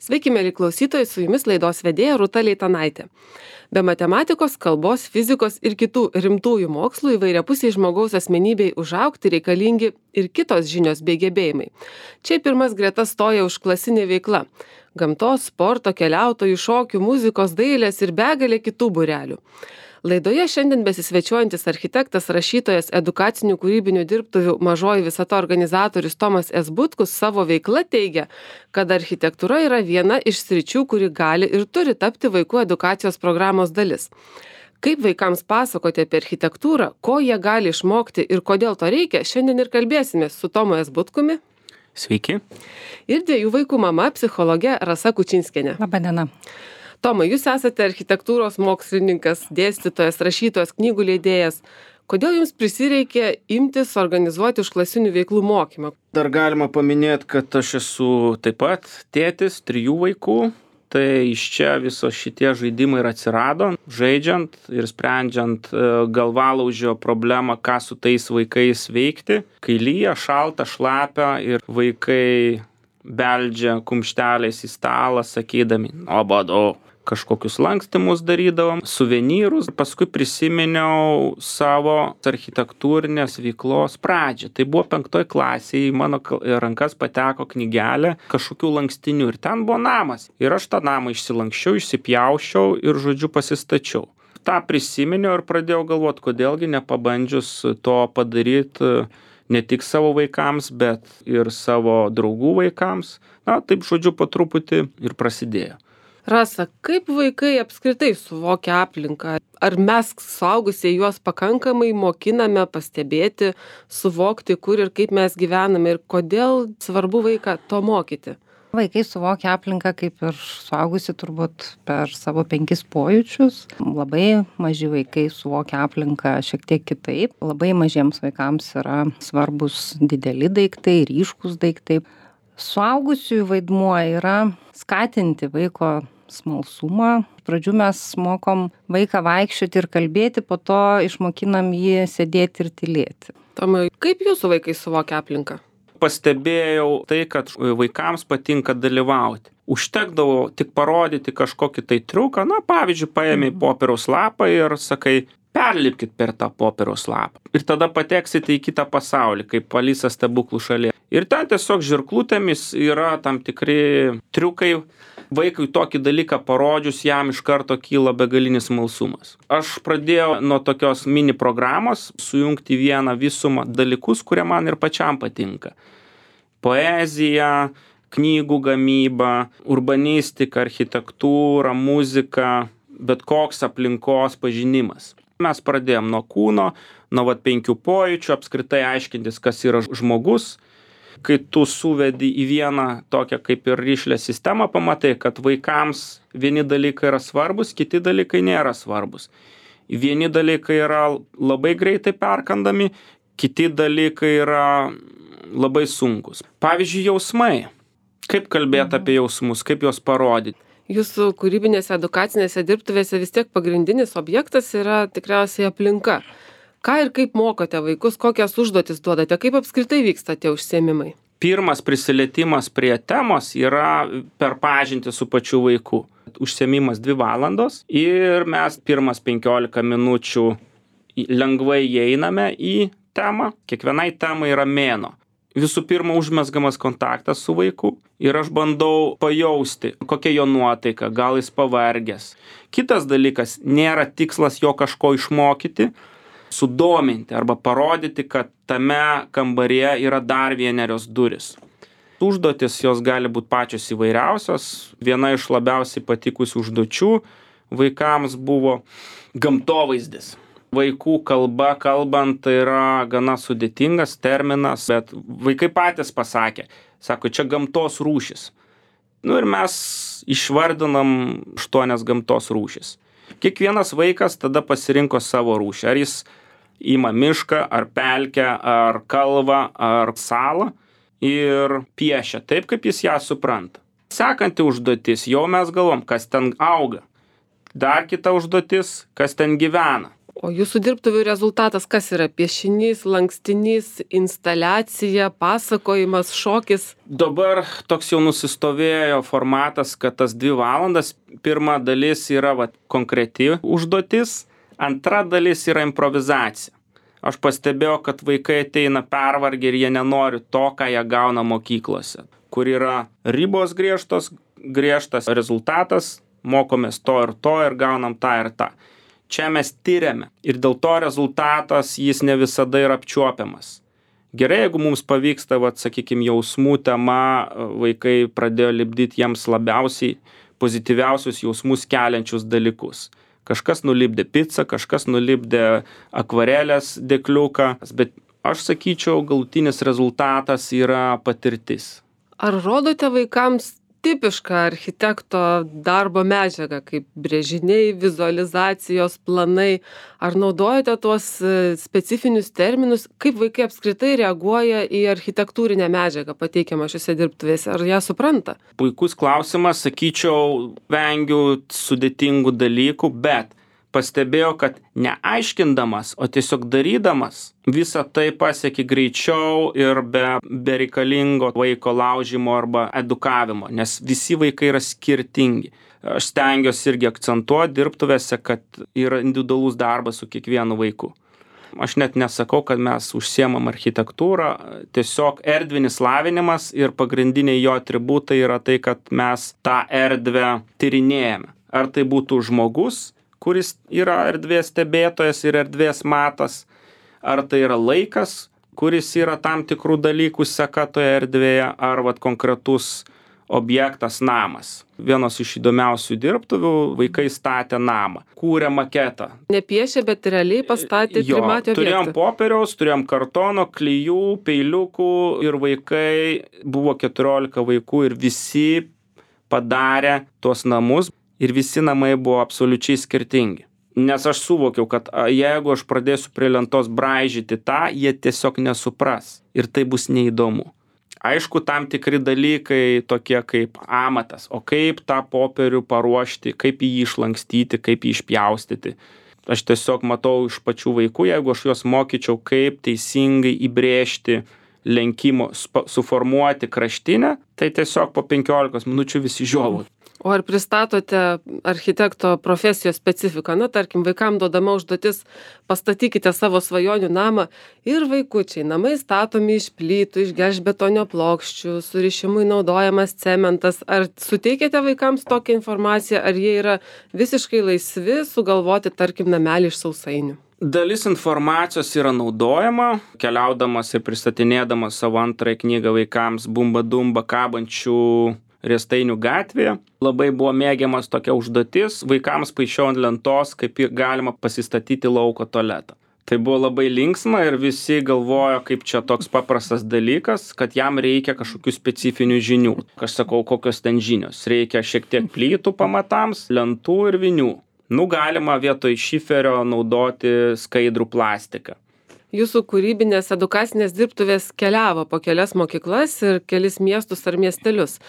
Sveiki, mėly klausytojai, su jumis laidos vedėja Rūta Leitanaitė. Be matematikos, kalbos, fizikos ir kitų rimtųjų mokslų įvairiapusiai žmogaus asmenybei užaugti reikalingi ir kitos žinios bei gebėjimai. Čia pirmas gretas stoja užklasinė veikla - gamtos, sporto, keliautojų, šokių, muzikos, dailės ir begalė kitų būrelių. Laidoje šiandien besisvečiuojantis architektas, rašytojas, edukacinių kūrybinių dirbtuvių Mažoji visata organizatorius Tomas S. Butkus savo veikla teigia, kad architektūra yra viena iš sričių, kuri gali ir turi tapti vaikų edukacijos programos dalis. Kaip vaikams pasakoti apie architektūrą, ko jie gali išmokti ir kodėl to reikia, šiandien ir kalbėsime su Tomu S. Butkumi. Sveiki. Ir 2 vaikų mama, psichologė Rasa Kučinskienė. Labadiena. Tomai, jūs esate architektūros mokslininkas, dėstytojas, rašytojas, knygų leidėjas. Kodėl jums prisireikė imtis organizuoti užklasinių veiklų mokymą? Dar galima paminėti, kad aš esu taip pat tėtis 3 vaikų. Tai iš čia viso šitie žaidimai ir atsirado, žaidžiant ir sprendžiant galvalaužio problemą, ką su tais vaikais veikti. Kai lyja, šalta, šlapia ir vaikai beldžia kumšteliais į stalą, sakydami, nuobodu. Kažkokius lankstymus darydavom, suvenyrus. Paskui prisiminiau savo architektūrinės veiklos pradžią. Tai buvo 5 klasėje, į mano rankas pateko knygelė kažkokių lankstinių ir ten buvo namas. Ir aš tą namą išsilankščiau, išsipjauščiau ir, žodžiu, pasistačiau. Ta prisiminiau ir pradėjau galvoti, kodėlgi nepabandžius to padaryti ne tik savo vaikams, bet ir savo draugų vaikams. Na, taip, žodžiu, po truputį ir prasidėjo. Rasa, kaip vaikai apskritai suvokia aplinką? Ar mes suaugusieji juos pakankamai mokiname pastebėti, suvokti, kur ir kaip mes gyvename ir kodėl svarbu vaiką to mokyti? Vaikai suvokia aplinką kaip ir suaugusi turbūt per savo 5 pojūčius. Labai maži vaikai suvokia aplinką šiek tiek kitaip. Labai mažiems vaikams yra svarbus dideli daiktai, ryškus daiktai. Suaugusiųjų vaidmuo yra skatinti vaiko smalsumą. Pradžių mes mokom vaiką vaikščioti ir kalbėti, po to išmokinam jį sėdėti ir tylėti. Tomai, kaip jūsų vaikai suvokia aplinką? Pastebėjau tai, kad vaikams patinka dalyvauti. Užtekdavo tik parodyti kažkokį tai triuką, na, pavyzdžiui, paėmė popieriaus lapą ir sakai, perlipkit per tą popieriaus lapą. Ir tada pateksite į kitą pasaulį, kaip Alisa stebuklų šalyje. Ir ten tiesiog žirklutėmis yra tam tikri triukai. Vaikui tokį dalyką parodžius, jam iš karto kyla begalinis smalsumas. Aš pradėjau nuo tokios mini programos sujungti vieną visumą dalykus, kurie man ir pačiam patinka. Poezija, knygų gamyba, urbanistika, architektūra, muzika, bet koks aplinkos pažinimas. Mes pradėjom nuo kūno, nuo 5 pojūčių, apskritai aiškintis, kas yra žmogus. Kai tu suvedi į vieną tokią kaip ir rišlią sistemą, pamatai, kad vaikams vieni dalykai yra svarbus, kiti dalykai nėra svarbus. Vieni dalykai yra labai greitai perkandami, kiti dalykai yra labai sunkus. Pavyzdžiui, jausmai. Kaip kalbėti apie jausmus, kaip juos parodyti? Jūsų kūrybinėse edukacinėse dirbtuvėse vis tiek pagrindinis objektas yra tikriausiai aplinka. Ką ir kaip mokote vaikus, kokias užduotis duodate, kaip apskritai vyksta tie užsiėmimai? Pirmas prisilietimas prie temos yra per pažintį su pačiu vaiku. Užsiėmimas 2 valandos ir mes pirmas 15 minučių lengvai įeiname į temą. Kiekvienai temai yra mėnuo. Visų pirma, užmezgamas kontaktas su vaiku ir aš bandau pajausti, kokia jo nuotaika, gal jis pavargęs. Kitas dalykas, nėra tikslas jo kažko išmokyti, sudominti arba parodyti, kad tame kambaryje yra dar vienerios durys. Užduotis jos gali būti pačios įvairiausios. Viena iš labiausiai patikusių užduočių vaikams buvo gamtovaizdis. Vaikų kalba kalbant tai yra gana sudėtingas terminas, bet vaikai patys pasakė, sako, čia gamtos rūšis. Ir mes išvardinam 8 gamtos rūšis. Kiekvienas vaikas tada pasirinko savo rūšį. Ar jis ima mišką, ar pelkę, ar kalvą, ar salą ir piešia taip, kaip jis ją supranta. Sekanti užduotis, jau mes galvom, kas ten auga. Dar kita užduotis, kas ten gyvena. O jūsų dirbtuvių rezultatas kas yra? Piešinys, lankstinys, instaliacija, pasakojimas, šokis? Dabar toks jau nusistovėjo formatas, kad tas 2 valandas, pirma dalis yra konkreti užduotis, antra dalis yra improvizacija. Aš pastebėjau, kad vaikai ateina pervargę ir jie nenori to, ką jie gauna mokyklose, kur yra ribos griežtas rezultatas, mokomės to ir gaunam tą ir tą. Čia mes tyriame ir dėl to rezultatas jis ne visada yra apčiuopiamas. Gerai, jeigu mums pavyksta, sakykime, jausmų tema, vaikai pradėjo lipdyti jiems labiausiai pozityviausius jausmus keliančius dalykus. Kažkas nulipdė pizzą, kažkas nulipdė akvarelės dėkliuką, bet aš sakyčiau, galutinis rezultatas yra patirtis. Ar rodote vaikams tipišką architekto darbo medžiagą, kaip brėžiniai, vizualizacijos, planai? Ar naudojate tuos specifinius terminus? Kaip vaikai apskritai reaguoja į architektūrinę medžiagą pateikiamą šiuose dirbtuvėse? Ar ją supranta? Puikus klausimas, sakyčiau, vengiu sudėtingų dalykų, bet pastebėjau, kad neaiškindamas, o tiesiog darydamas, visą tai pasieki greičiau ir be reikalingo vaiko laužimo arba edukavimo, nes visi vaikai yra skirtingi. Aš stengiuosi irgi akcentuoti dirbtuvėse, kad yra individualus darbas su kiekvienu vaiku. Aš net nesakau, kad mes užsiemam architektūrą, tiesiog erdvinis lavinimas ir pagrindiniai jo atributai yra tai, kad mes tą erdvę tyrinėjame. Ar tai būtų žmogus, kuris yra erdvės stebėtojas ir erdvės matas, ar tai yra laikas, kuris yra tam tikrų dalykų seka toje erdvėje, ar konkretus objektas namas. Vienos iš įdomiausių dirbtuvių vaikai statė namą, kūrė maketą. Nepiešė, bet realiai pastatė trimatį objektą. Turėjom popieriaus, turėjom kartono, klijų, peiliukų ir vaikai, buvo 14 vaikų ir visi padarė tuos namus. Ir visi namai buvo absoliučiai skirtingi. Nes aš suvokiau, kad jeigu aš pradėsiu prie lentos braižyti tą, jie tiesiog nesupras. Ir tai bus neįdomu. Aišku, tam tikri dalykai tokie kaip amatas. O kaip tą popierių paruošti, kaip jį išlankstyti, kaip jį išpjaustyti. Aš tiesiog matau iš pačių vaikų, jeigu aš juos mokyčiau, kaip teisingai įbrėžti lenkimo, suformuoti kraštinę, tai tiesiog po 15 minučių visi žiovautų. O ar pristatote architekto profesijos specifiką? Tarkim, vaikam duodama užduotis, pastatykite savo svajonių namą ir vaikučiai, namai statomi iš plytų, iš gelžbetonio plokščių, surišimui naudojamas cementas. Ar suteikėte vaikams tokią informaciją, ar jie yra visiškai laisvi sugalvoti, tarkim, namelį iš sausainių? Dalis informacijos yra naudojama, keliaudamas ir pristatinėdamas savo antrąją knygą vaikams Bumba Dumba kabančių Riestainių gatvėje. Labai buvo mėgiamas tokia užduotis, vaikams paišiau ant lentos, kaip galima pasistatyti lauko tualetą. Tai buvo labai linksma ir visi galvojo, kaip čia toks paprastas dalykas, kad jam reikia kažkokių specifinių žinių. Aš sakau, kokios ten žinios. Reikia šiek tiek plytų pamatams, lentų ir vinių. Galima vietoj šiferio naudoti skaidrų plastiką. Jūsų kūrybinės edukacinės dirbtuvės keliavo po kelias mokyklas ir kelis miestus ar miestelius.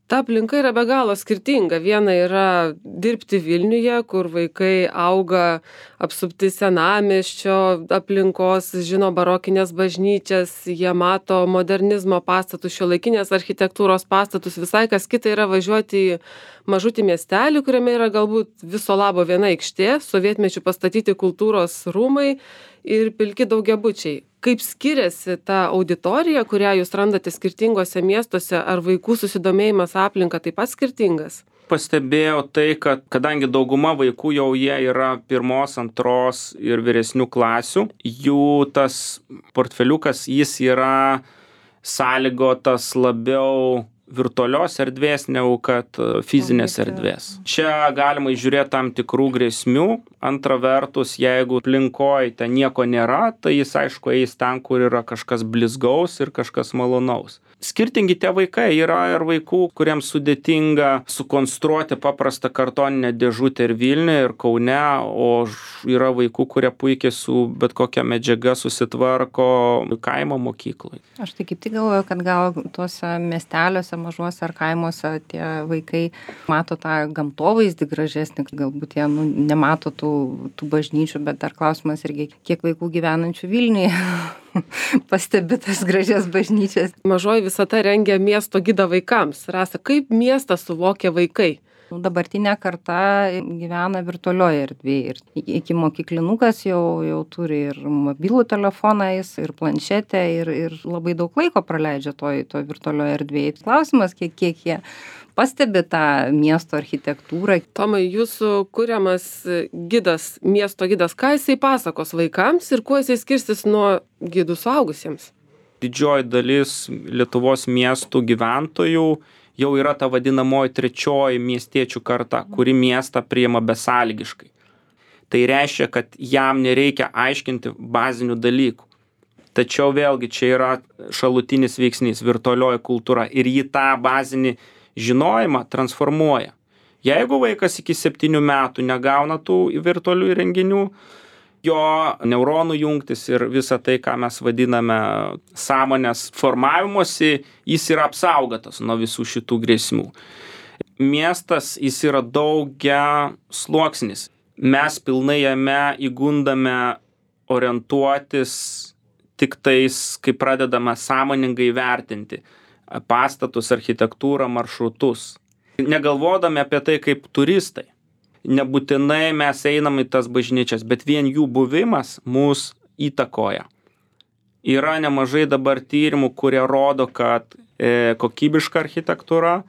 Ta aplinka yra be galo skirtinga. Viena yra dirbti Vilniuje, kur vaikai auga apsupti senamiesčio aplinkos, žino barokinės bažnyčias, jie mato modernizmo pastatus, šiuolaikinės architektūros pastatus. Visai kas kita yra važiuoti į mažutį miestelį, kuriame yra galbūt viso labo viena aikštė, sovietmečių pastatyti kultūros rūmai ir pilki daugiabučiai. Kaip skiriasi ta auditorija, kurią jūs randate skirtingose miestuose, ar vaikų susidomėjimas aplinka taip pat skirtingas? Pastebėjau tai, kad kadangi dauguma vaikų jau jie yra 1, 2 ir vyresnių klasių, jų tas portfeliukas jis yra sąlygotas labiau virtualios erdvės negu kad fizinės erdvės. Čia galima įžiūrėti tam tikrų grėsmių. Antra vertus, jeigu aplinkoje ten nieko nėra, tai jis aišku eis ten, kur yra kažkas blizgaus ir kažkas malonaus. skirtingi tie vaikai. Yra ir vaikų, kuriems sudėtinga sukonstruoti paprastą kartoninę dėžutę ir Vilniuje, ir Kaune, o yra vaikų, kurie puikiai su bet kokia medžiaga susitvarko kaimo mokykloje. Aš tai kaip tik galvoju, kad gal tuose miesteliuose, mažuose ar kaimuose tie vaikai mato tą gamtovaizdį gražesnį, galbūt jie nemato tų bažnyčių, bet dar klausimas irgi, kiek vaikų gyvenančių Vilniuje pastebi tas gražias bažnyčias. Mažoji visata rengia miesto gidą vaikams. Rasa, kaip miestą suvokia vaikai? Dabartinė karta gyvena virtualioje erdvėje ir iki mokyklinukas jau turi ir mobilų telefoną, ir planšetę, ir labai daug laiko praleidžia toj virtualioje erdvėje. Klausimas, kiek jie pastebi tą miesto architektūrą. Tomai, jūsų kuriamas gidas, miesto gidas, ką jisai pasakos vaikams ir kuo jisai skirsis nuo gidų suaugusiems? Didžioji dalis Lietuvos miestų gyventojų jau yra ta vadinamoji trečioji miestiečių karta, kuri miestą priima besąlygiškai. Tai reiškia, kad jam nereikia aiškinti bazinių dalykų. Tačiau vėlgi čia yra šalutinis veiksnys, virtualioji kultūra, ir jį tą bazinį žinojimą transformuoja. Jeigu vaikas iki 7 metų negauna tų virtualių įrenginių, jo neuronų jungtis ir visa tai, ką mes vadiname sąmonės formavimuose, jis yra apsaugotas nuo visų šitų grėsmių. Miestas, jis yra daugia sluoksnis. Mes pilnai jame įgundame orientuotis tik tais, kai pradedame sąmoningai vertinti pastatus, architektūrą, maršrutus. Negalvodami apie tai kaip turistai. Nebūtinai mes einam į tas bažnyčias, bet vien jų buvimas mus įtakoja. Yra nemažai dabar tyrimų, kurie rodo, kad kokybiška architektūra,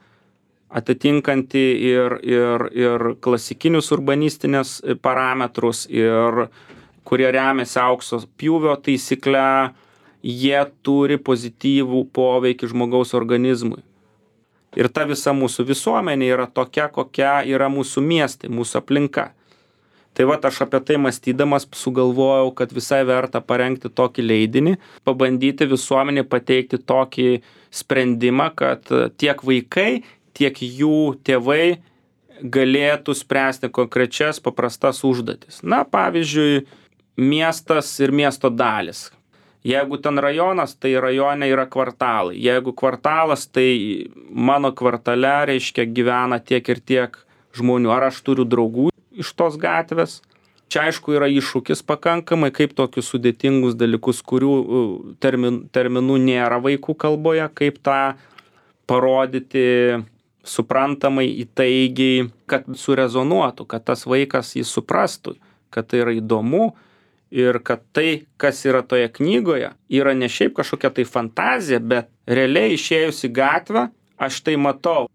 atitinkanti ir klasikinius urbanistinės parametrus, ir kurie remiasi aukso pjūvio taisykle, jie turi pozityvų poveikį žmogaus organizmui. Ir ta visa mūsų visuomenė yra tokia, kokia yra mūsų miestai, mūsų aplinka. Tai vat aš apie tai mąstydamas sugalvojau, kad visai verta parengti tokį leidinį, pabandyti visuomenį pateikti tokį sprendimą, kad tiek vaikai, tiek jų tėvai galėtų spręsti konkrečias paprastas užduotis. Na, pavyzdžiui, miestas ir miesto dalis. Jeigu ten rajonas, tai rajone yra kvartalai. Jeigu kvartalas, tai mano kvartale, reiškia, gyvena tiek ir tiek žmonių. Ar aš turiu draugų iš tos gatvės? Čia, aišku, yra iššūkis pakankamai, kaip tokius sudėtingus dalykus, kurių terminų nėra vaikų kalboje, kaip tą parodyti suprantamai, įtaigiai, kad surezonuotų, kad tas vaikas jį suprastų, kad tai yra įdomu. Ir kad tai, kas yra toje knygoje, yra ne šiaip kažkokia tai fantazija, bet realiai išėjus į gatvę, aš tai matau,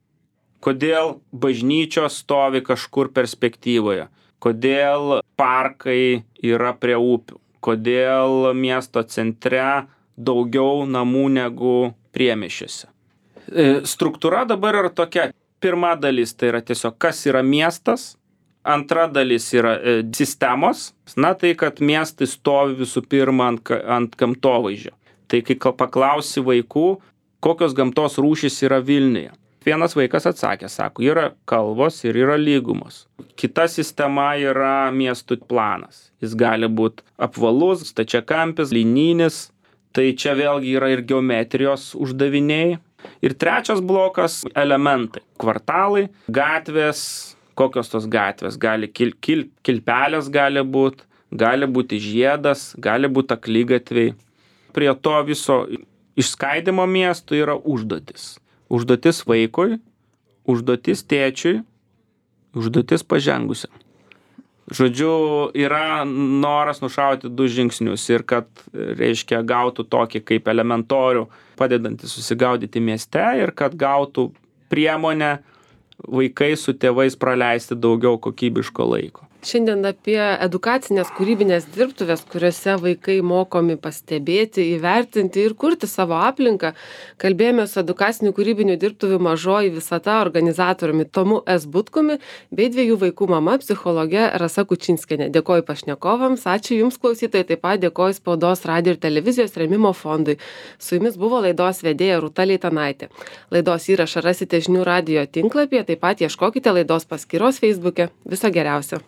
kodėl bažnyčios stovi kažkur perspektyvoje, kodėl parkai yra prie upių, kodėl miesto centre daugiau namų negu priemiesčiuose. Struktūra dabar yra tokia. Pirma dalis tai yra tiesiog, kas yra miestas. Antra dalis yra sistemos, na tai, kad miestai stovi visų pirma ant gamtovaizdžio. Tai kai paklausi vaikų, kokios gamtos rūšys yra Vilniuje. Vienas vaikas atsakė, sako, yra kalvos ir yra lygumos. Kita sistema yra miestų planas. Jis gali būti apvalus, stačiakampis, linijinis. Tai čia vėlgi yra ir geometrijos uždaviniai. Ir trečias blokas – elementai. Kvartalai, gatvės. Kokios tos gatvės? Gali kilpelės gali būti žiedas, gali būti akligatviai. Prie to viso išskaidimo miestų yra užduotis. Užduotis vaikui, užduotis tėčiui, užduotis pažengusiam. Žodžiu, yra noras nušauti 2 žingsnius ir kad, reiškia, gautų tokį kaip elementorių, padedantį susigaudyti mieste ir kad gautų priemonę vaikai su tėvais praleisti daugiau kokybiško laiko. Šiandien apie edukacinės kūrybinės dirbtuvės, kuriuose vaikai mokomi pastebėti, įvertinti ir kurti savo aplinką, kalbėjome su edukacinių kūrybinių dirbtuvių Mažoji visata organizatoriumi Tomu S. Butkumi bei 2 vaikų mama psichologe Rasa Kučinskienė. Dėkoju pašnekovams, ačiū Jums klausytojai, taip pat dėkoju Spaudos radijo ir televizijos rėmimo fondui. Su Jumis buvo laidos vedėja Rūta Leitanaitė. Laidos įrašą rasite žinių radijo tinklapyje, taip pat ieškokite laidos paskyros Facebook'e. Viso geriausio.